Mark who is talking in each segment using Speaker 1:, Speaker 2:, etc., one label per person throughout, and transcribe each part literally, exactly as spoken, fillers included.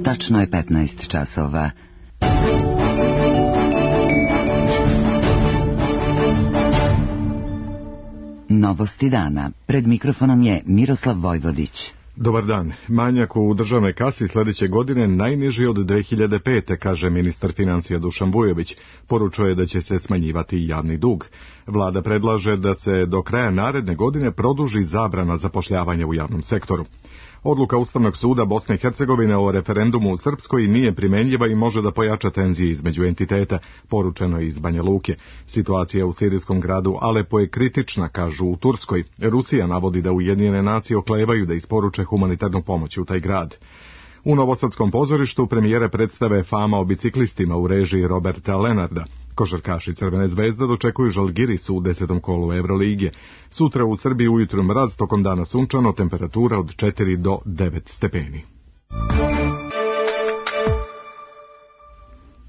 Speaker 1: Tačno je petnaest časova. Novosti dana. Pred mikrofonom je Miroslav Vojvodić.
Speaker 2: Dobar dan. Manjak u državnoj kasi sljedeće godine najniži od dve hiljade pete. kaže ministar financija Dušan Vujović. Poručuje da će se smanjivati javni dug. Vlada predlaže da se do kraja naredne godine produži zabrana zapošljavanja u javnom sektoru. Odluka Ustavnog suda Bosne i Hercegovine o referendumu u Srpskoj nije primenjiva i može da pojača tenzije između entiteta, poručeno je iz Banja Luke. Situacija u sirijskom gradu Alepo je kritična, kažu u Turskoj. Rusija navodi da Ujedinjene nacije oklevaju da isporuče humanitarnu pomoć u taj grad. U Novosadskom pozorištu premijere predstave Fama o biciklistima u režiji Roberta Lenarda. Košarkaši Crvene zvezde dočekuju Žalgiris u desetom kolu Evrolige. Sutra u Srbiji ujutru mraz, tokom dana sunčano, temperatura od četiri do devet stepeni.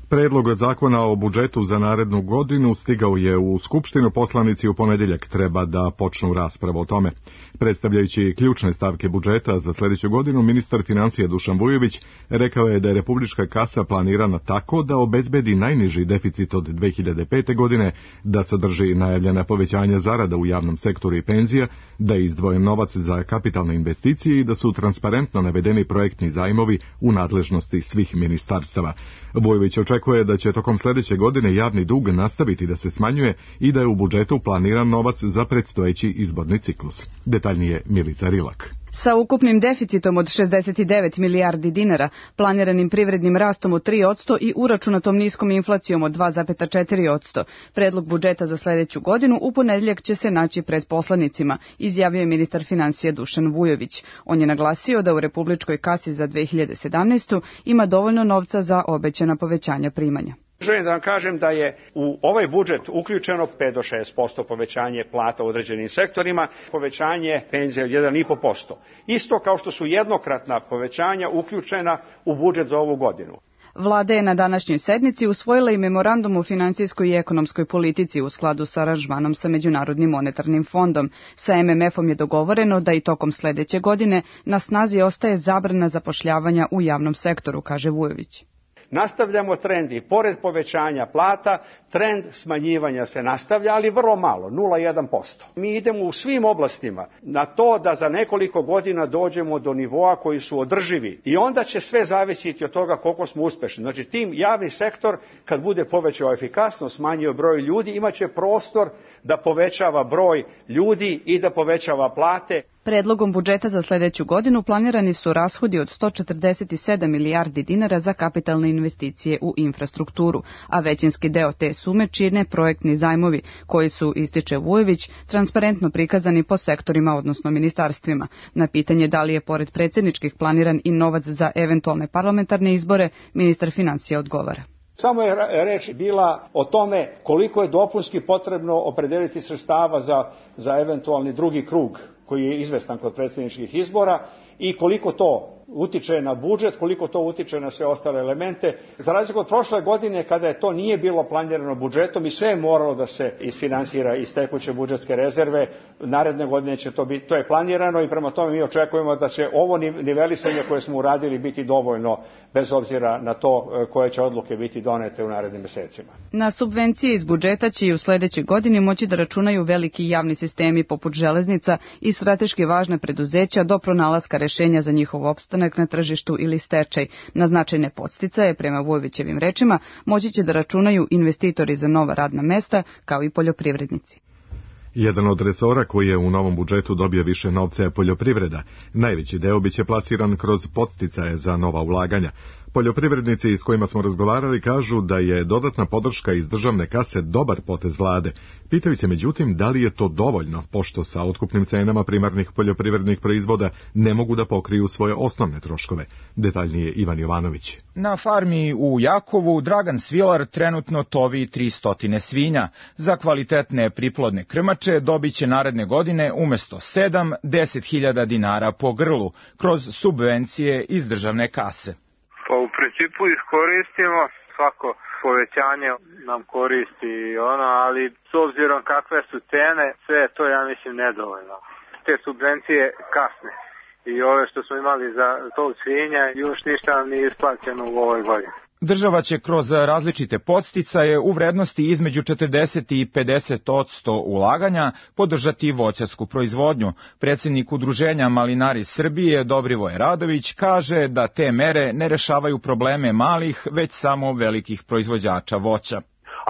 Speaker 2: Predlog zakona o budžetu za narednu godinu stigao je u Skupštinu. Poslanici u ponedjeljak treba da počnu raspravu o tome. Predstavljajući ključne stavke budžeta za sljedeću godinu, ministar financija Dušan Vujović rekao je da je republička kasa planirana tako da obezbedi najniži deficit od dve hiljade pete. godine, da sadrži najavljena povećanja zarada u javnom sektoru i penzija, da je izdvojen novac za kapitalne investicije i da su transparentno navedeni projektni zajmovi u nadležnosti svih ministarstava. Vujović očekuje da će tokom sljedeće godine javni dug nastaviti da se smanjuje i da je u budžetu planiran novac za predstojeći izborni ciklus. Detaljnije Milica Rilak.
Speaker 3: Sa ukupnim deficitom od šezdeset devet milijardi dinara, planiranim privrednim rastom od tri posto i uračunatom niskom inflacijom od dva zarez četiri posto, predlog budžeta za sljedeću godinu u ponedjeljak će se naći pred poslanicima, izjavio je ministar financija Dušan Vujović. On je naglasio da u republičkoj kasi za dve hiljade sedamnaestu. ima dovoljno novca za obećana povećanja primanja.
Speaker 4: Želim da vam kažem da je u ovaj budžet uključeno pet do šest posto povećanje plata u određenim sektorima, povećanje penzija od jedan i po posto. Isto kao što su jednokratna povećanja uključena u budžet za ovu godinu.
Speaker 3: Vlada je na današnjoj sednici usvojila i memorandum o finansijskoj i ekonomskoj politici u skladu sa aranžmanom sa Međunarodnim monetarnim fondom. Sa em em efom je dogovoreno da i tokom sljedeće godine na snazi ostaje zabrana zapošljavanja u javnom sektoru, kaže Vujović.
Speaker 4: Nastavljamo trend i pored povećanja plata, trend smanjivanja se nastavlja, ali vrlo malo, nula zarez jedan posto. Mi idemo u svim oblastima na to da za nekoliko godina dođemo do nivoa koji su održivi i onda će sve zavisiti od toga koliko smo uspešni. Znači tim javni sektor kad bude povećao efikasnost, smanjio broj ljudi, imaće prostor da povećava broj ljudi i da povećava plate.
Speaker 3: Predlogom budžeta za sljedeću godinu planirani su rashodi od sto četrdeset sedam milijardi dinara za kapitalne investicije u infrastrukturu, a većinski deo te sume čine projektni zajmovi koji su, ističe Vujović, transparentno prikazani po sektorima, odnosno ministarstvima. Na pitanje da li je pored predsjedničkih planiran i novac za eventualne parlamentarne izbore, ministar financija odgovara.
Speaker 4: Samo je reč bila o tome koliko je dopunski potrebno opredeliti sredstava za, za eventualni drugi krug koji je izvestan kod predsjedničkih izbora i koliko to utiče na budžet, koliko to utiče na sve ostale elemente. Za razliku od prošle godine kada je to nije bilo planirano budžetom i sve je moralo da se isfinansira iz tekuće budžetske rezerve, naredne godine će to biti, to je planirano i prema tome mi očekujemo da će ovo nivelisanje koje smo uradili biti dovoljno bez obzira na to koje će odluke biti donete u narednim mjesecima.
Speaker 3: Na subvencije iz budžeta će i u sljedećoj godini moći da računaju veliki javni sistemi poput železnica i strateški važna preduzeća do pronalaska rješenja za njihov opstanak na tržištu ili stečaj. Na značajne podsticaje, prema Vujovićevim rečima, moći će da računaju investitori za nova radna mesta, kao i poljoprivrednici.
Speaker 2: Jedan od resora koji je u novom budžetu dobio više novca je poljoprivreda. Najveći deo biće plasiran kroz podsticaje za nova ulaganja. Poljoprivrednici s kojima smo razgovarali kažu da je dodatna podrška iz državne kase dobar potez vlade. Pitaju se međutim da li je to dovoljno, pošto sa otkupnim cenama primarnih poljoprivrednih proizvoda ne mogu da pokriju svoje osnovne troškove. Detaljnije Ivan Jovanović.
Speaker 5: Na farmi u Jakovu Dragan Svilar trenutno tovi tristo svinja. Za kvalitetne priplodne krmače dobit će naredne godine umjesto sedam, deset hiljada dinara po grlu kroz subvencije iz državne kase.
Speaker 6: Pa u principu iskoristimo, svako povećanje nam koristi ono, ali s obzirom kakve su cene, sve je to, ja mislim, nedovoljno. Te subvencije kasne. i ove što smo imali za tov svinja, još ništa nam nije isplaćeno u ovoj godini.
Speaker 5: Država će kroz različite podsticaje u vrednosti između četrdeset i pedeset posto ulaganja podržati voćarsku proizvodnju. Predsjednik Udruženja Malinari Srbije Dobrivoje Radović kaže da te mere ne rešavaju probleme malih, već samo velikih proizvođača voća.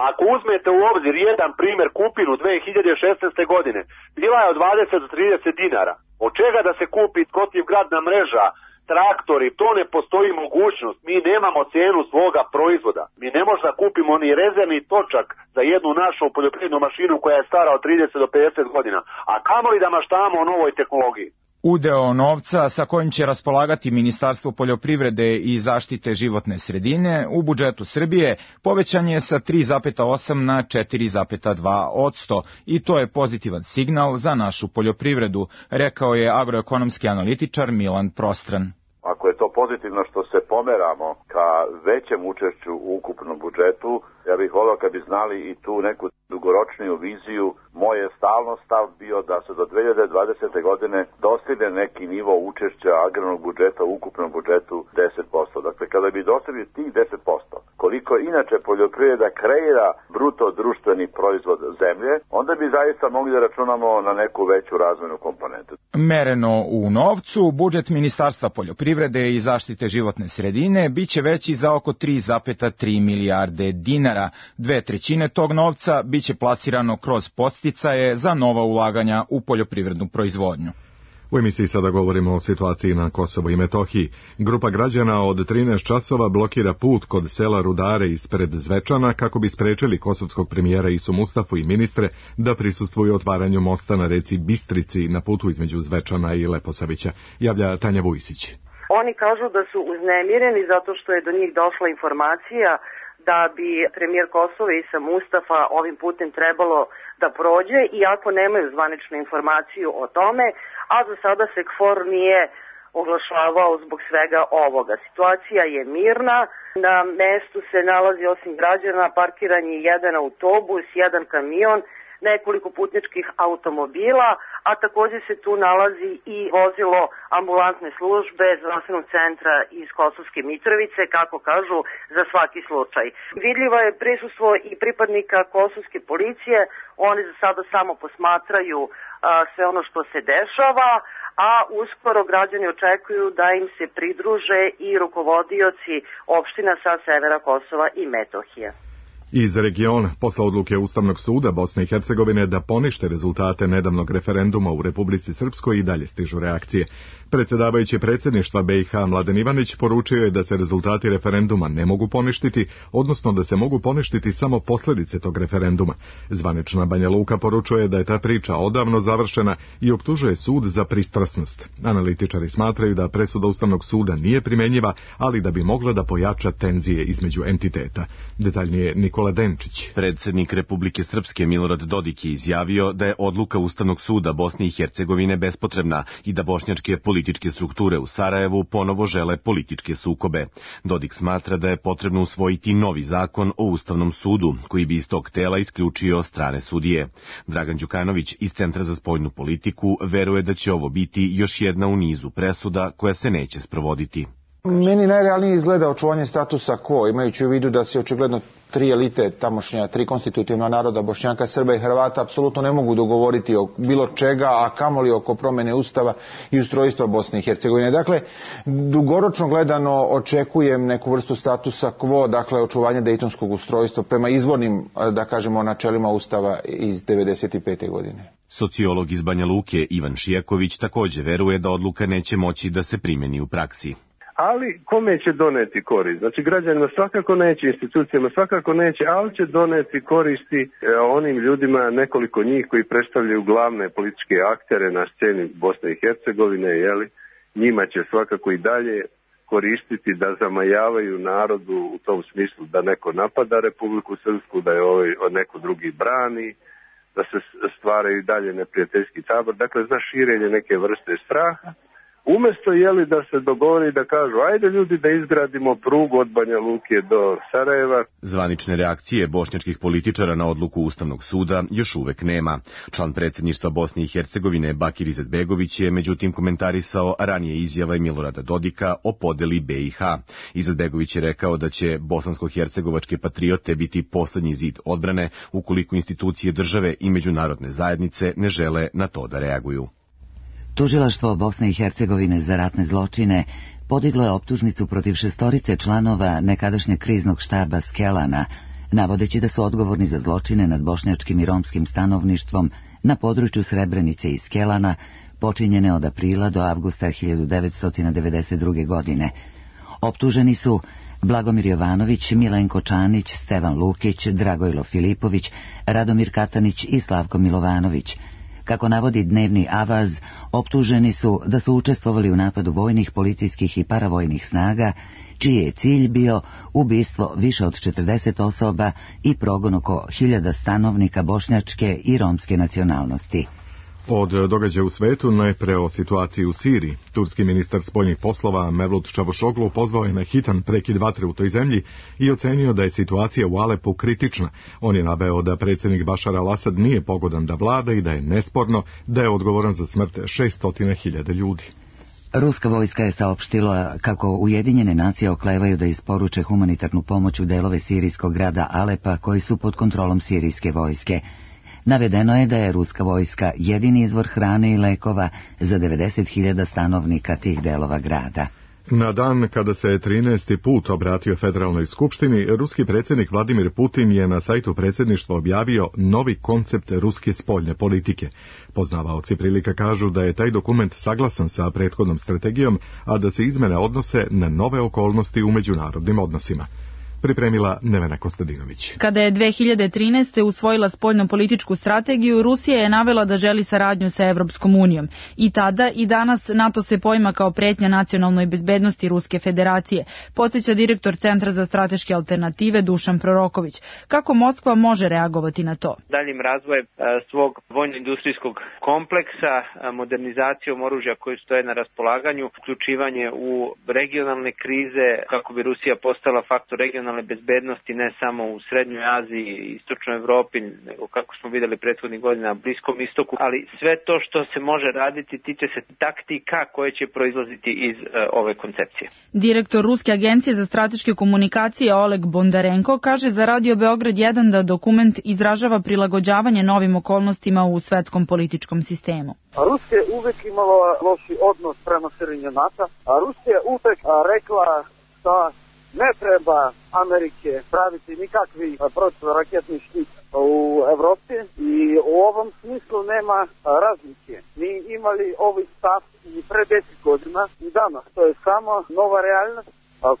Speaker 7: Ako uzmete u obzir jedan primjer, kupinu dve hiljade šesnaeste. godine, bila je od dvadeset do trideset dinara. Od čega da se kupi protivgradna mreža, traktori, to ne postoji mogućnost. Mi nemamo cijenu svoga proizvoda. Mi ne možemo da kupimo ni rezervni točak za jednu našu poljoprivrednu mašinu koja je stara od trideset do pedeset godina. A kamoli da maštamo o novoj tehnologiji.
Speaker 5: Udeo novca sa kojim će raspolagati Ministarstvo poljoprivrede i zaštite životne sredine u budžetu Srbije povećan je sa tri zarez osam na četiri zarez dva posto i to je pozitivan signal za našu poljoprivredu, rekao je agroekonomski analitičar Milan Prostran.
Speaker 8: Ako je to pozitivno što se pomeramo ka većem učešću u ukupnom budžetu, ja bih volio kad bi znali i tu neku dugoročniju viziju. Moj je stalno stav bio da se do dve hiljade dvadesete. godine dostigne neki nivo učešća agrarnog budžeta u ukupnom budžetu deset posto. Dakle, kada bi dostigli tih deset posto, koliko inače poljoprivreda kreira bruto društveni proizvod zemlje, onda bi zaista mogli da računamo na neku veću razvojnu komponentu.
Speaker 5: Mereno u novcu, budžet Ministarstva poljoprivrede i zaštite životne sredine biće veći za oko tri zarez tri milijarde dinara. Dve trećine tog novca biće plasirano kroz podsticaje za nova ulaganja u poljoprivrednu proizvodnju.
Speaker 2: U emisiji sada govorimo o situaciji na Kosovu i Metohiji. Grupa građana od trinaest časova blokira put kod sela Rudare ispred Zvečana kako bi sprečili kosovskog premijera Isu Mustafu i ministre da prisustvuju otvaranju mosta na reci Bistrici na putu između Zvečana i Leposavića. Javlja Tanja Vujsić.
Speaker 9: Oni kažu da su uznemireni zato što je do njih došla informacija da bi premijer Kosova Isa Mustafa ovim putem trebalo da prođe, iako nemaju zvaničnu informaciju o tome, a za sada se KFOR nije oglašavao zbog svega ovoga. Situacija je mirna, na mestu se nalazi osim građana parkiran je jedan autobus, jedan kamion, nekoliko putničkih automobila, a također se tu nalazi i vozilo ambulantne službe zdravstvenog centra iz Kosovske Mitrovice, kako kažu, za svaki slučaj. Vidljivo je prisustvo i pripadnika kosovske policije, oni za sada samo posmatraju a, sve ono što se dešava, a uskoro građani očekuju da im se pridruže i rukovodioci opština sa severa Kosova i Metohije.
Speaker 2: Iz regiona, posle odluke Ustavnog suda Bosne i Hercegovine da ponište rezultate nedavnog referenduma u Republici Srpskoj i dalje stižu reakcije. Predsjedavajući predsjedništva B i H Mladen Ivanić poručio je da se rezultati referenduma ne mogu poništiti, odnosno da se mogu poništiti samo posljedice tog referenduma. Zvanična Banja Luka poručuje da je ta priča odavno završena i optužuje sud za pristrasnost. Analitičari smatraju da presuda Ustavnog suda nije primjenjiva, ali da bi mogla da pojača tenzije između entiteta. Detaljnije Nikola Denčić.
Speaker 10: Predsjednik Republike Srpske Milorad Dodik je izjavio da je odluka Ustavnog suda Bosne i Hercegovine bespotrebna i da bošnjačke političke strukture u Sarajevu ponovo žele političke sukobe. Dodik smatra da je potrebno usvojiti novi zakon o Ustavnom sudu, koji bi iz tog tela isključio strane sudije. Dragan Đukanović iz Centra za spoljnu politiku veruje da će ovo biti još jedna u nizu presuda koja se neće sprovoditi.
Speaker 11: Meni najrealnije izgleda očuvanje statusa quo, imajući u vidu da se očigledno tri elite tamošnja, tri konstitutivna naroda, Bošnjaka, Srba i Hrvata, apsolutno ne mogu dogovoriti o bilo čega, a kamoli oko promjene Ustava i ustrojstva Bosne i Hercegovine. Dakle, dugoročno gledano očekujem neku vrstu statusa quo, dakle očuvanje dejtonskog ustrojstva prema izvornim, da kažemo, načelima Ustava iz devedeset pete. godine.
Speaker 10: Sociolog iz Banja Luke Ivan Šijaković također veruje da odluka neće moći da se primjeni u praksi.
Speaker 12: Ali kome će doneti korist? Znači građanima svakako neće, institucijama svakako neće, ali će doneti koristi onim ljudima, nekoliko njih koji predstavljaju glavne političke aktere na sceni Bosne i Hercegovine, jeli? Njima će svakako i dalje koristiti da zamajavaju narodu u tom smislu da neko napada Republiku Srpsku, da je ovaj neko drugi brani, da se stvaraju i dalje neprijateljski tabor, dakle za širenje neke vrste straha. Umesto jeli da se dogovori da kažu ajde ljudi da izgradimo prugu od Banja Luke do Sarajeva.
Speaker 10: Zvanične reakcije bošnjačkih političara na odluku Ustavnog suda još uvek nema. Član predsjedništva Bosne i Hercegovine Bakir Izetbegović je međutim komentarisao ranije izjave Milorada Dodika o podeli B i H. Izetbegović je rekao da će bosansko-hercegovačke patriote biti poslednji zid odbrane ukoliko institucije države i međunarodne zajednice ne žele na to da reaguju.
Speaker 1: Tužilaštvo Bosne i Hercegovine za ratne zločine podiglo je optužnicu protiv šestorice članova nekadašnjeg kriznog štaba Skelana, navodeći da su odgovorni za zločine nad bošnjačkim i romskim stanovništvom na području Srebrenice i Skelana, počinjene od aprila do avgusta hiljadu devetsto devedeset druge. godine. Optuženi su Blagomir Jovanović, Milenko Čanić, Stevan Lukić, Dragojlo Filipović, Radomir Katanić i Slavko Milovanović. Kako navodi dnevni Avaz, optuženi su da su učestvovali u napadu vojnih, policijskih i paravojnih snaga, čiji je cilj bio ubistvo više od četrdeset osoba i progon oko hiljada stanovnika bošnjačke i romske nacionalnosti.
Speaker 2: Od događaja u svetu najpre o situaciji u Siriji. Turski ministar spoljnih poslova Mevlut Čavuşoglu pozvao je na hitan prekid vatre u toj zemlji i ocenio da je situacija u Alepu kritična. On je naveo da predsjednik Bašar al-Asad nije pogodan da vlada i da je nesporno da je odgovoran za smrt šessto hiljada ljudi.
Speaker 1: Ruska vojska je saopštila kako Ujedinjene nacije oklevaju da isporuče humanitarnu pomoć u delove sirijskog grada Alepa koji su pod kontrolom sirijske vojske. Navedeno je da je ruska vojska jedini izvor hrane i lekova za devedeset hiljada stanovnika tih delova grada.
Speaker 2: Na dan kada se trinaesti put obratio Federalnoj skupštini, ruski predsjednik Vladimir Putin je na sajtu predsjedništva objavio novi koncept ruske spoljne politike. Poznavaoci prilika kažu da je taj dokument saglasan sa prethodnom strategijom, a da se izmene odnose na nove okolnosti u međunarodnim odnosima. Pripremila Nevena Kostadinović.
Speaker 13: Kada je dve hiljade trinaeste. usvojila spoljnopolitičku strategiju, Rusija je navela da želi saradnju sa Evropskom unijom. I tada i danas NATO se poima kao pretnja nacionalnoj bezbednosti Ruske federacije, podsjeća direktor Centra za strateške alternative Dušan Proroković. Kako Moskva može reagovati na to?
Speaker 14: Daljim razvojem svog vojno-industrijskog kompleksa, modernizacijom oružja koji stoje na raspolaganju, uključivanje u regionalne krize kako bi Rusija postala faktor regionalne bezbednosti ne samo u Srednjoj Aziji i Istočnoj Evropi, nego kako smo videli prethodnih godina na Bliskom istoku, ali sve to što se može raditi tiče se taktika koje će proizlaziti iz uh, ove koncepcije.
Speaker 13: Direktor Ruske agencije za strateške komunikacije Oleg Bondarenko kaže za Radio Beograd jedan da dokument izražava prilagođavanje novim okolnostima u svetskom političkom sistemu.
Speaker 15: Rusija je uvek imala loši odnos prema širenju NATO, a Rusija je uvek rekla da ne treba Amerike praviti nikakvi protivraketni štit u Evropi i u ovom smislu nema razlike. Mi imali ovaj stav i pre deset godina i danas. To je samo nova realnost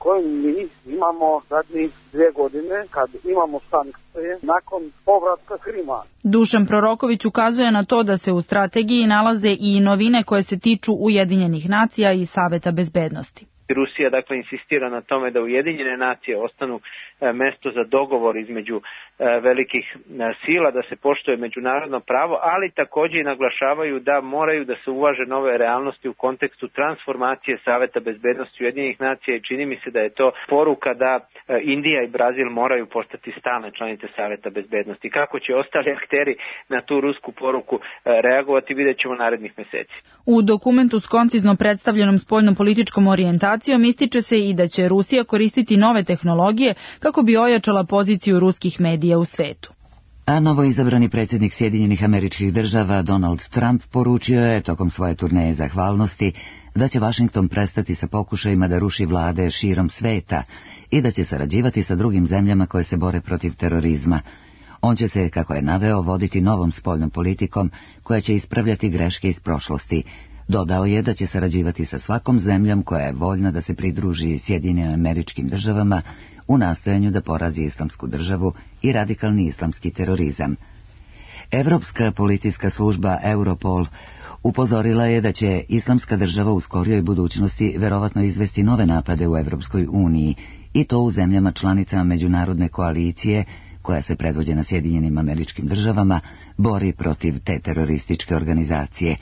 Speaker 15: koju mi imamo zadnjih dvije godine kad imamo sankcije nakon povratka Krima.
Speaker 13: Dušan Proroković ukazuje na to da se u strategiji nalaze i novine koje se tiču Ujedinjenih nacija i Saveta bezbednosti.
Speaker 14: Rusija dakle insistira na tome da Ujedinjene nacije ostanu mesto za dogovor između velikih sila, da se poštuje međunarodno pravo, ali također i naglašavaju da moraju da se uvaže nove realnosti u kontekstu transformacije Saveta bezbednosti Ujedinjenih nacija i čini mi se da je to poruka da Indija i Brazil moraju postati stalne članice Saveta bezbednosti. Kako će ostali akteri na tu rusku poruku reagovati, vidjet ćemo narednih meseci.
Speaker 13: U dokumentu s koncizno predstavljenom spoljnopolitičkom orijentacijom ističe se i da će Rusija koristiti nove tehnologije kako bi ojačala poziciju ruskih medija u svetu.
Speaker 1: A novoizabrani predsjednik Sjedinjenih Američkih Država Donald Trump poručio je tokom svoje turneje zahvalnosti da će Vašington prestati sa pokušajima da ruši vlade širom sveta i da će sarađivati sa drugim zemljama koje se bore protiv terorizma. On će se, kako je naveo, voditi novom spoljnom politikom koja će ispravljati greške iz prošlosti. Dodao je da će sarađivati sa svakom zemljom koja je voljna da se pridruži Sjedinjenim Američkim Državama u nastojanju da porazi islamsku državu i radikalni islamski terorizam. Evropska policijska služba Europol upozorila je da će islamska država u skorijoj budućnosti verovatno izvesti nove napade u Evropskoj uniji i to u zemljama članicama međunarodne koalicije koja se predvođena Sjedinjenim Američkim Državama bori protiv te terorističke organizacije.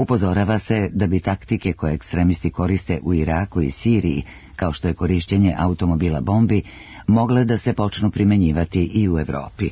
Speaker 1: Upozorava se da bi taktike koje ekstremisti koriste u Iraku i Siriji, kao što je korišćenje automobila bombi, mogle da se počnu primenjivati i u Evropi.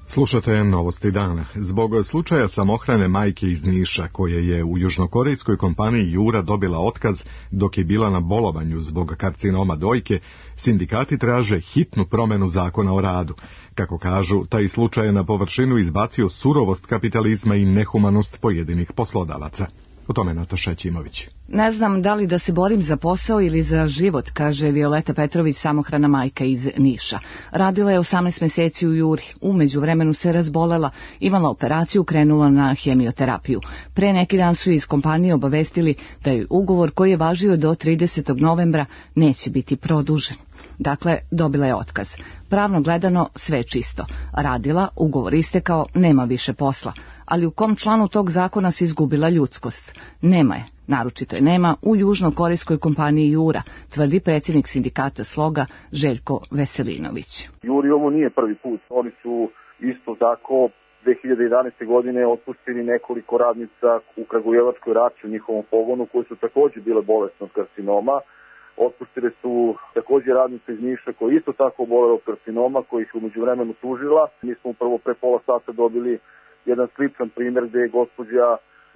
Speaker 2: Slušate Novosti dana. Zbog slučaja samohrane majke iz Niša, koje je u južnokorejskoj kompaniji Jura dobila otkaz dok je bila na bolovanju zbog karcinoma dojke, sindikati traže hitnu promenu zakona o radu. Kako kažu, taj slučaj je na površinu izbacio surovost kapitalizma i nehumanost pojedinih poslodavaca. O tome Nataša Ćimović.
Speaker 16: Ne znam da li da se borim za posao ili za život, kaže Violeta Petrović, samohrana majka iz Niša. Radila je osamnaest meseci u Juri, u međuvremenu se razbolela, imala operaciju, krenula na hemioterapiju. Pre neki dan su iz kompanije obavestili da je ugovor koji je važio do tridesetog novembra neće biti produžen. Dakle, dobila je otkaz. Pravno gledano sve čisto. Radila, ugovor istekao, nema više posla. Ali u kom članu tog zakona se izgubila ljudskost? Nema je. Naročito je nema u južnokorejskoj kompaniji Jura, tvrdi predsjednik sindikata Sloga Željko Veselinović.
Speaker 17: Juri ovo nije prvi put. Oni su isto tako dve hiljade jedanaeste. godine otpustili nekoliko radnica u Kragujevačkoj Rači u njihovom pogonu koji su također bile bolesne od karcinoma. Otpustili su također radnice iz Niša koji isto tako obolele od karcinoma, koji ih u međuvremenu tužila. Mi smo upravo pre pola sata dobili jedan sličan primjer gdje je gospođa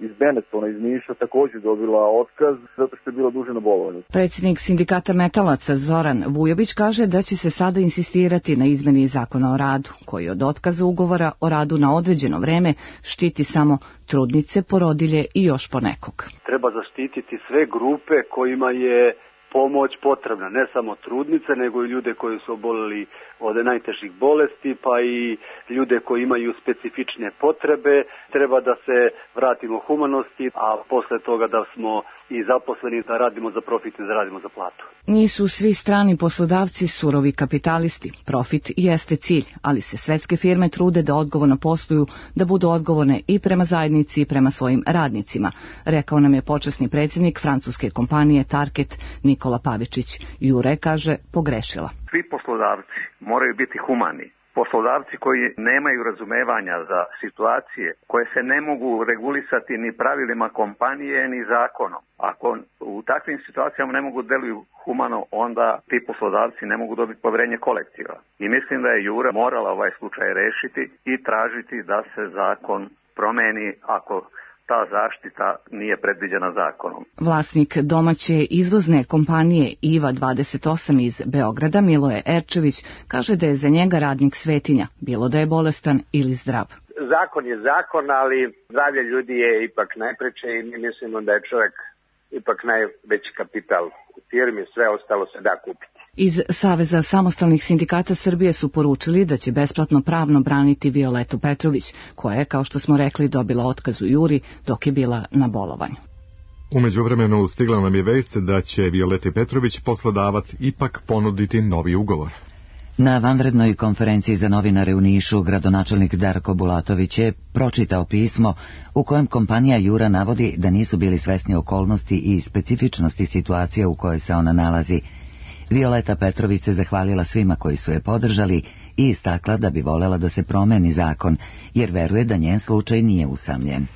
Speaker 17: iz Benetona iz Niša također dobila otkaz zato što je bila duže na bolovanju.
Speaker 16: Predsjednik sindikata metalaca Zoran Vujović kaže da će se sada insistirati na izmeni zakona o radu, koji od otkaza ugovora o radu na određeno vreme štiti samo trudnice, porodilje i još ponekog.
Speaker 18: Treba zaštititi sve grupe kojima je pomoć potrebna, ne samo trudnice, nego i ljude koji su oboleli od najtežih bolesti, pa i ljude koji imaju specifične potrebe. Treba da se vratimo humanosti, a posle toga da smo i zaposleni, da radimo za profit i da radimo za platu.
Speaker 16: Nisu svi strani poslodavci surovi kapitalisti. Profit jeste cilj, ali se svetske firme trude da odgovorno posluju, da budu odgovorne i prema zajednici i prema svojim radnicima, rekao nam je počasni predsjednik francuske kompanije Target Nikola Pavičić. Jure, kaže, pogrešila.
Speaker 19: Svi poslodavci moraju biti humani. Poslodavci koji nemaju razumevanja za situacije koje se ne mogu regulisati ni pravilima kompanije ni zakonom. Ako u takvim situacijama ne mogu deluju humano, onda ti poslodavci ne mogu dobiti povjerenje kolektiva. I mislim da je Jura morala ovaj slučaj rešiti i tražiti da se zakon promeni ako ta zaštita nije predviđena zakonom.
Speaker 16: Vlasnik domaće izvozne kompanije Iva dvadeset osam iz Beograda, Miloje Erčević, kaže da je za njega radnik svetinja, bilo da je bolestan ili zdrav.
Speaker 20: Zakon je zakon, ali zdravlje ljudi je ipak najpreče i mi mislimo da je čovjek ipak najveći kapital u firmi, sve ostalo se da kupiti.
Speaker 16: Iz Saveza samostalnih sindikata Srbije su poručili da će besplatno pravno braniti Violetu Petrović, koja je, kao što smo rekli, dobila otkaz u Juri dok je bila na bolovanju.
Speaker 2: U međuvremenu stigla nam je vest da će Violeti Petrović poslodavac ipak ponuditi novi ugovor.
Speaker 1: Na vanrednoj konferenciji za novinare u Nišu gradonačelnik Darko Bulatović je pročitao pismo u kojem kompanija Jura navodi da nisu bili svesni okolnosti i specifičnosti situacije u kojoj se ona nalazi. Violeta Petrović se zahvalila svima koji su je podržali i istakla da bi volela da se promeni zakon, jer veruje da njen slučaj nije usamljen.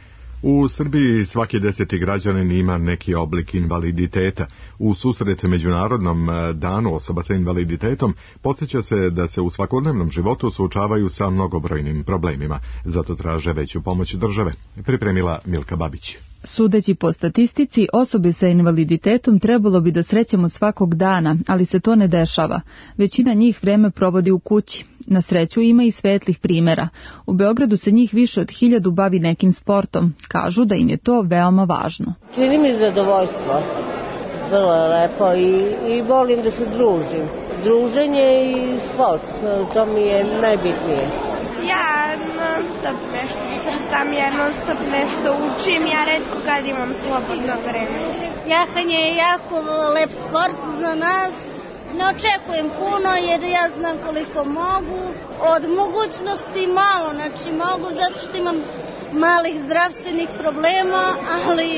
Speaker 2: U Srbiji svaki deseti građanin ima neki oblik invaliditeta. U susret Međunarodnom danu osoba sa invaliditetom podsjeća se da se u svakodnevnom životu suočavaju sa mnogobrojnim problemima. Zato traže veću pomoć države. Pripremila Milka Babić.
Speaker 21: Sudeći po statistici, osobe sa invaliditetom trebalo bi da srećemo svakog dana, ali se to ne dešava. Većina njih vreme provodi u kući. Na sreću ima i svetlih primjera. U Beogradu se njih više od hiljadu bavi nekim sportom. Kažu da im je to veoma važno.
Speaker 22: Čini mi zadovoljstvo. Vrlo je lepo i, i volim da se družim. Druženje i sport, to mi je najbitnije.
Speaker 23: Ja non stop nešto crtam, ja non stop nešto učim, ja retko kad imam slobodno vreme.
Speaker 24: Jahanje je jako lep sport za nas. Ne očekujem puno jer ja znam koliko mogu. Od mogućnosti malo, znači mogu zato što imam malih zdravstvenih problema, ali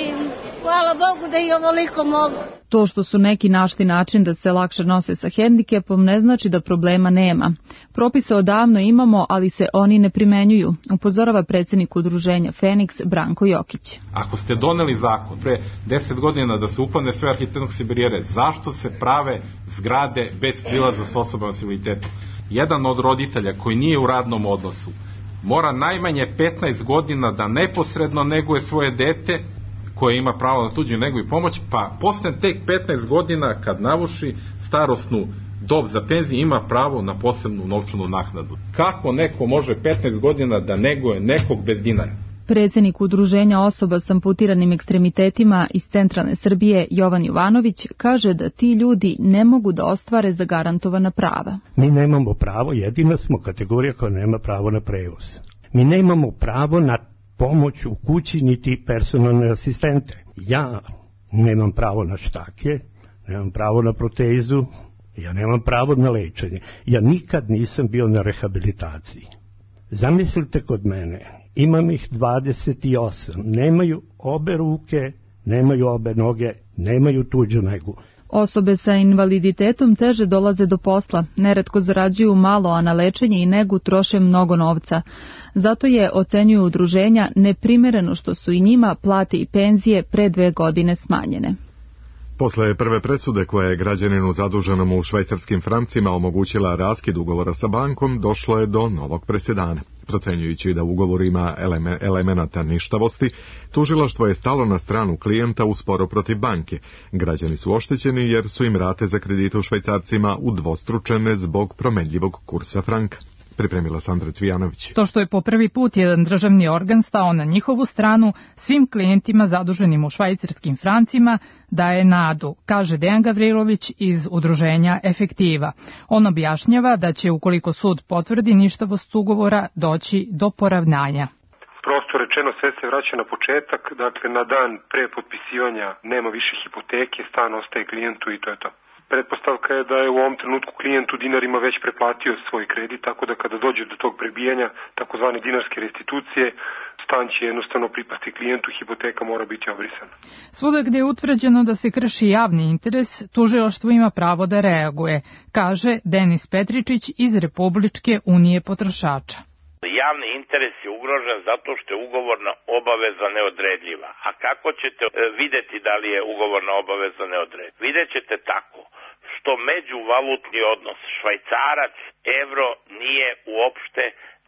Speaker 24: hvala Bogu da i ovoliko mogu.
Speaker 21: To što su neki našli način da se lakše nose sa hendikepom ne znači da problema nema. Propise odavno imamo, ali se oni ne primenjuju, upozorava predsjednik udruženja Feniks Branko Jokić.
Speaker 3: Ako ste doneli zakon pre deset godina da se uklone sve arhitektonske barijere, zašto se prave zgrade bez prilaza s osobama s invaliditetom? Jedan od roditelja koji nije u radnom odnosu mora najmanje petnaest godina da neposredno neguje svoje dete koje ima pravo na tuđu negu i pomoć, pa posle tek petnaest godina kad navuši starosnu dob za penziju ima pravo na posebnu novčanu naknadu. Kako neko može petnaest godina da neguje nekog bez dinara?
Speaker 21: Predsjednik udruženja osoba s amputiranim ekstremitetima iz centralne Srbije Jovan Jovanović kaže da ti ljudi ne mogu da ostvare zagarantovana prava.
Speaker 4: Mi nemamo pravo, jedina smo kategorija koja nema pravo na prevoz. Mi nemamo pravo na pomoć u kući niti personalne asistente. Ja nemam pravo na štake, nemam pravo na protezu, ja nemam pravo na lečenje. Ja nikad nisam bio na rehabilitaciji. Zamislite kod mene, imam ih dvadeset osam, nemaju obe ruke, nemaju obe noge, nemaju tuđu negu.
Speaker 21: Osobe sa invaliditetom teže dolaze do posla, neretko zarađuju malo, a na lečenje i negu troše mnogo novca. Zato je, ocenjuju udruženja, neprimereno što su i njima plate i penzije pre dve godine smanjene.
Speaker 2: Posle prve presude koja je građaninu zaduženom u švajcarskim francima omogućila raskid ugovora sa bankom, došlo je do novog presedana. Procenjujući da ugovor ima eleme, elemenata ništavosti, tužilaštvo je stalo na stranu klijenta u sporu protiv banke. Građani su oštećeni jer su im rate za kredite u švajcarcima udvostručene zbog promenljivog kursa franka. Pripremila Sandra Cvijanović.
Speaker 6: To što je po prvi put jedan državni organ stao na njihovu stranu, svim klijentima zaduženim u švajcarskim francima daje nadu, kaže Dejan Gavrilović iz udruženja Efektiva. On objašnjava da će, ukoliko sud potvrdi ništavost ugovora, doći do poravnanja.
Speaker 7: Prosto rečeno, sve se vraća na početak, dakle na dan pre potpisivanja nema više hipoteke, stan ostaje klijentu i to je to. Pretpostavka je da je u ovom trenutku klijent u dinarima već preplatio svoj kredit, tako da kada dođe do tog prebijanja, takozvane dinarske restitucije, stan će jednostavno pripasti klijentu, hipoteka mora biti obrisana.
Speaker 6: Svuda gdje je utvrđeno da se krši javni interes, tužilaštvo ima pravo da reaguje, kaže Denis Petričić iz Republičke unije potrošača.
Speaker 25: Javni interes je ugrožen zato što je ugovorna obaveza neodredljiva. A kako ćete vidjeti da li je ugovorna obaveza neodredljiva? Vidjet ćete tako što međuvalutni odnos švajcarac, evro nije uopšte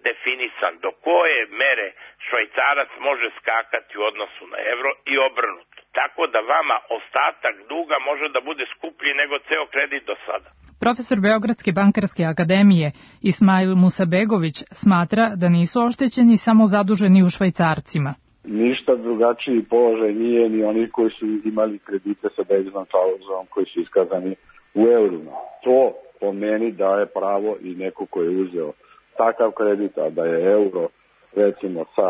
Speaker 25: definisan. Do koje mere švajcarac može skakati u odnosu na evro i obrnuto. Tako da vama ostatak duga može da bude skuplji nego ceo kredit do sada.
Speaker 6: Profesor Beogradske bankarske akademije Ismail Musabegović smatra da nisu oštećeni samo zaduženi u švajcarcima.
Speaker 12: Ništa drugačiji položaj nije ni oni koji su imali kredite sa deviznom klauzulom koji su iskazani u eurima. To po meni daje pravo i neko ko je uzeo takav kredit, a da je euro recimo sa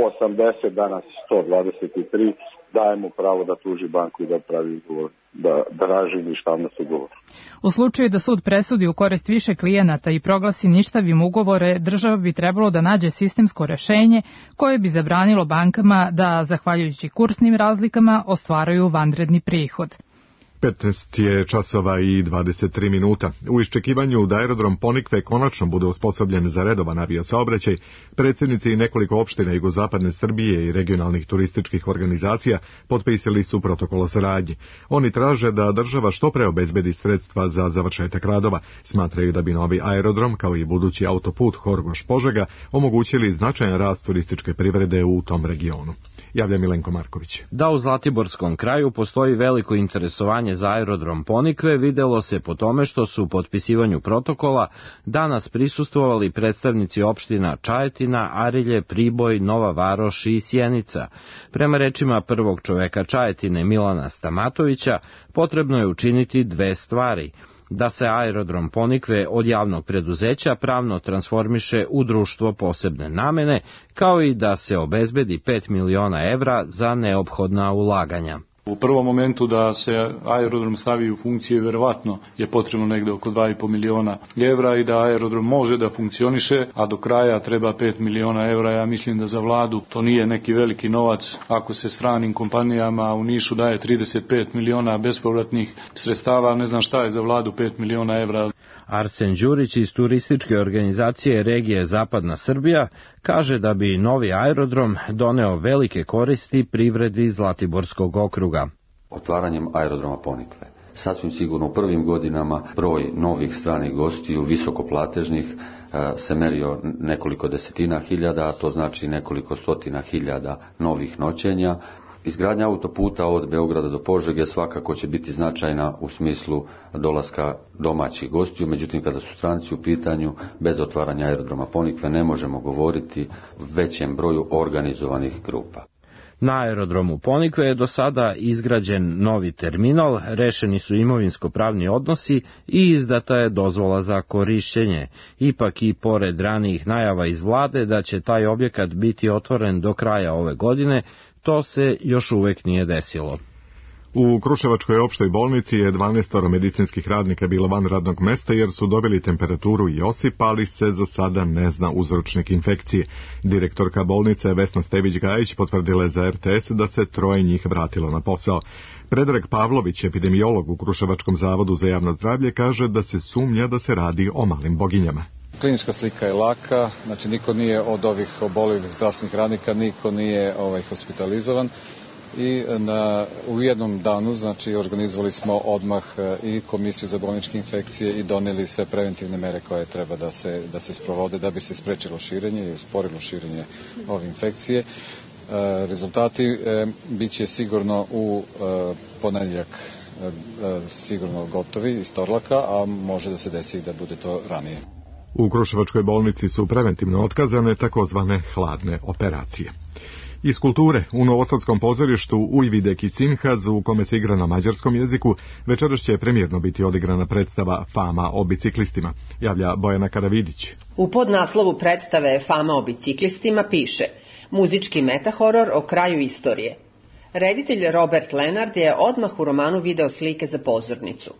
Speaker 12: osamdeset danas sto dvadeset tri, daje mu pravo da tuži banku i da pravi ugovor, da traži ništavnost ugovora.
Speaker 6: U slučaju da sud presudi u korist više klijenata i proglasi ništavim ugovore, država bi trebalo da nađe sistemsko rešenje koje bi zabranilo bankama da, zahvaljujući kursnim razlikama, ostvaruju vanredni prihod.
Speaker 2: petnaest je časova i dvadeset tri minuta. U iščekivanju da aerodrom Ponikve konačno bude osposobljen za redovan aviosaobraćaj, predsjednici nekoliko opština jugozapadne Srbije i regionalnih turističkih organizacija potpisali su protokol o saradnji. Oni traže da država što pre obezbedi sredstva za završetak radova. Smatraju da bi novi aerodrom, kao i budući autoput Horgoš-Požega, omogućili značajan rast turističke privrede u tom regionu. Javlja Milenko Marković.
Speaker 26: Da u Zlatiborskom kraju postoji veliko interesovanje za aerodrom Ponikve, videlo se po tome što su u potpisivanju protokola danas prisustvovali predstavnici opština Čajetina, Arilje, Priboj, Nova Varoš i Sjenica. Prema rečima prvog čoveka Čajetine Milana Stamatovića, potrebno je učiniti dve stvari: da se aerodrom Ponikve od javnog preduzeća pravno transformiše u društvo posebne namene, kao i da se obezbedi pet miliona evra za neophodna ulaganja.
Speaker 5: U prvom momentu da se aerodrom stavi u funkciju verovatno je potrebno negde oko dva i po miliona evra i da aerodrom može da funkcioniše, a do kraja treba pet miliona evra. Ja mislim da za vladu to nije neki veliki novac ako se stranim kompanijama u Nišu daje trideset pet miliona bespovratnih sredstava, ne znam šta je za vladu pet miliona evra.
Speaker 26: Arsen Đurić iz turističke organizacije regije Zapadna Srbija kaže da bi novi aerodrom doneo velike koristi privredi Zlatiborskog okruga.
Speaker 8: Otvaranjem aerodroma Ponikve sasvim sigurno u prvim godinama broj novih stranih gostiju, visokoplatežnih, se merio nekoliko desetina hiljada, a to znači nekoliko stotina hiljada novih noćenja. Izgradnja autoputa od Beograda do Požege svakako će biti značajna u smislu dolaska domaćih gostiju, međutim kada su stranci u pitanju, bez otvaranja aerodroma Ponikve ne možemo govoriti o većem broju organizovanih grupa.
Speaker 26: Na aerodromu Ponikve je do sada izgrađen novi terminal, rešeni su imovinsko-pravni odnosi i izdata je dozvola za korišćenje. Ipak i pored ranijih najava iz vlade da će taj objekat biti otvoren do kraja ove godine, to se još uvek nije desilo.
Speaker 2: U Kruševačkoj opštoj bolnici je dvanaest medicinskih radnika bilo van radnog mesta jer su dobili temperaturu i osip, ali se za sada ne zna uzročnik infekcije. Direktorka bolnice Vesna Stević-Gajić potvrdila je za er te es da se troje njih vratilo na posao. Predrag Pavlović, epidemiolog u Kruševačkom zavodu za javno zdravlje, kaže da se sumnja da se radi o malim boginjama.
Speaker 9: Klinička slika je laka, znači niko nije od ovih oboljelih zdravstvenih radnika, niko nije ovaj, hospitalizovan. I na, u jednom danu znači organizovali smo odmah i komisiju za bolničke infekcije i doneli sve preventivne mere koje treba da se, da se sprovode da bi se sprečilo širenje i usporilo širenje ove infekcije. E, rezultati e, bit će sigurno u e, ponedjeljak e, sigurno gotovi iz Torlaka, a može da se desi da bude to ranije.
Speaker 2: U Kruševačkoj bolnici su preventivno otkazane takozvane hladne operacije. Iz kulture, u Novosadskom pozorištu Ujvideki Sinhaz, u kome se igra na mađarskom jeziku, večeras će premijerno biti odigrana predstava Fama o biciklistima, javlja Bojana Karavidić.
Speaker 10: U podnaslovu predstave Fama o biciklistima piše muzički metahoror o kraju istorije. Reditelj Robert Lenard je odmah u romanu video slike za pozornicu.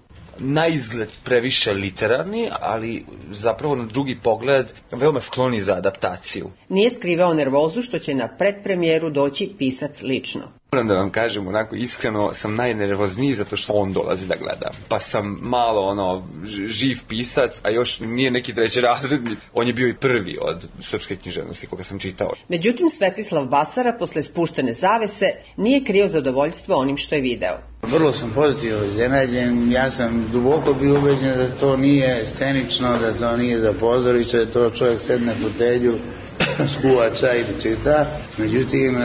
Speaker 11: Na izgled previše literarni, ali zapravo na drugi pogled veoma skloni za adaptaciju.
Speaker 10: Nije skrivao nervozu što će na predpremijeru doći pisac lično.
Speaker 11: Moram da vam kažem, onako iskreno sam najnervozniji zato što on dolazi da gleda. Pa sam malo ono živ pisac, a još nije neki treći razredni. On je bio i prvi od srpske književnosti koga sam čitao.
Speaker 10: Međutim, Svetislav Basara posle spuštene zavese nije krio zadovoljstvo onim što je video.
Speaker 15: Vrlo sam pozitivno iznenađen, ja sam duboko bio ubeđen da to nije scenično, da to nije za pozorište, da to čovjek sedne u fotelju, skuva čaj i čita. Međutim,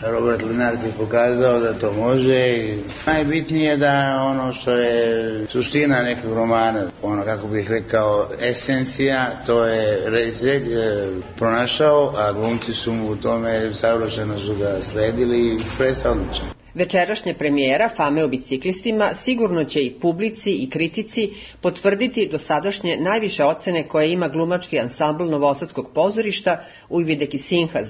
Speaker 15: Robert Lenard je pokazao da to može i najbitnije je da ono što je suština nekog romana, ono kako bih rekao esencija, to je reditelj pronašao, a glumci su mu u tome savršeno su ga sledili i predstavnično.
Speaker 10: Večerašnja premijera Fame o biciklistima sigurno će i publici i kritici potvrditi dosadašnje najviše ocene koje ima glumački ansambl Novosadskog pozorišta Ujvideki Sinhaz.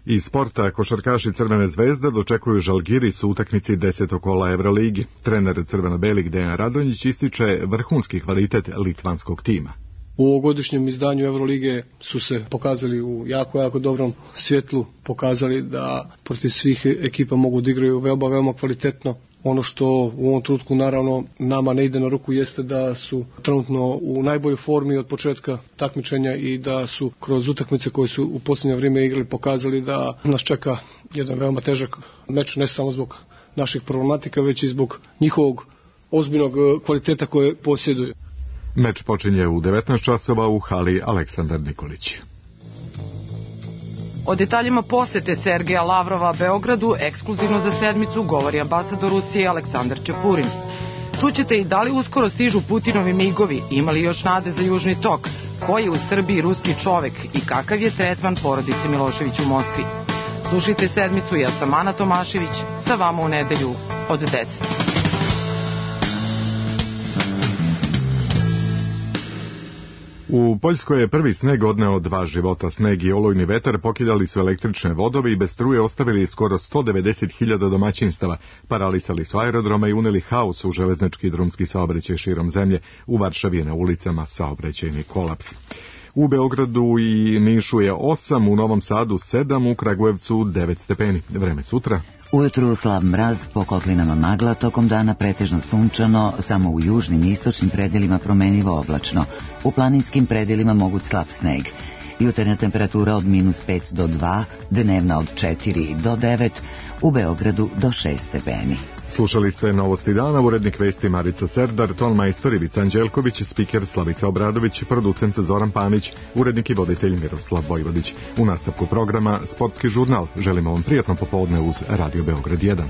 Speaker 2: Iz sporta košarkaši Crvene zvezde dočekuju Žalgiris u utakmici desetog kola Evroligi. Trener crveno-belih Dejan Radonjić ističe vrhunski kvalitet litvanskog tima.
Speaker 27: U ovogodišnjem izdanju Evrolige su se pokazali u jako, jako dobrom svjetlu, pokazali da protiv svih ekipa mogu da igraju veoma, veoma kvalitetno. Ono što u ovom trenutku naravno nama ne ide na ruku jeste da su trenutno u najboljoj formi od početka takmičenja i da su kroz utakmice koje su u posljednje vrijeme igrali pokazali da nas čeka jedan veoma težak meč, ne samo zbog naših problematika, već i zbog njihovog ozbiljnog kvaliteta koje posjeduju.
Speaker 2: Meč počinje u devetnaest časova u hali Aleksandar Nikolić.
Speaker 28: O detaljima posete Sergeja Lavrova Beogradu ekskluzivno za sedmicu govori ambasador Rusije Aleksandar Čepurin. Čućete i da li uskoro stižu Putinovi migovi, imali još nade za Južni tok, ko je u Srbiji ruski čovek i kakav je tretman porodice Milošević u Moskvi. Slušajte sedmicu, ja sam Ana Tomašević, sa vama u nedelju od deset.
Speaker 2: U Poljskoj je prvi sneg odneo dva života. Sneg i olujni vetar pokidali su električne vodove i bez struje ostavili skoro sto devedeset hiljada domaćinstava. Paralisali su aerodrome i uneli haos u železnički i drumski saobraćaj širom zemlje. U Varšavi je na ulicama saobraćajni kolaps. U Beogradu i Nišu je osam, u Novom Sadu sedam, u Kragujevcu devet stepeni. Vreme sutra.
Speaker 1: Ujutru slab mraz, po kotlinama magla, tokom dana pretežno sunčano, samo u južnim i istočnim predelima promenljivo oblačno. U planinskim predelima moguć slab sneg. Jutarnja temperatura od minus pet do dva, dnevna od četiri do devet, u Beogradu do šest stepeni.
Speaker 2: Slušali ste Novosti dana, urednik vesti Marica Serdar, tonmajstor Ivica Anđelković, spiker Slavica Obradović, producent Zoran Panić, urednik i voditelj Miroslav Vojvodić. U nastavku programa Sportski žurnal. Želimo vam prijatno popodne uz Radio Beograd jedan.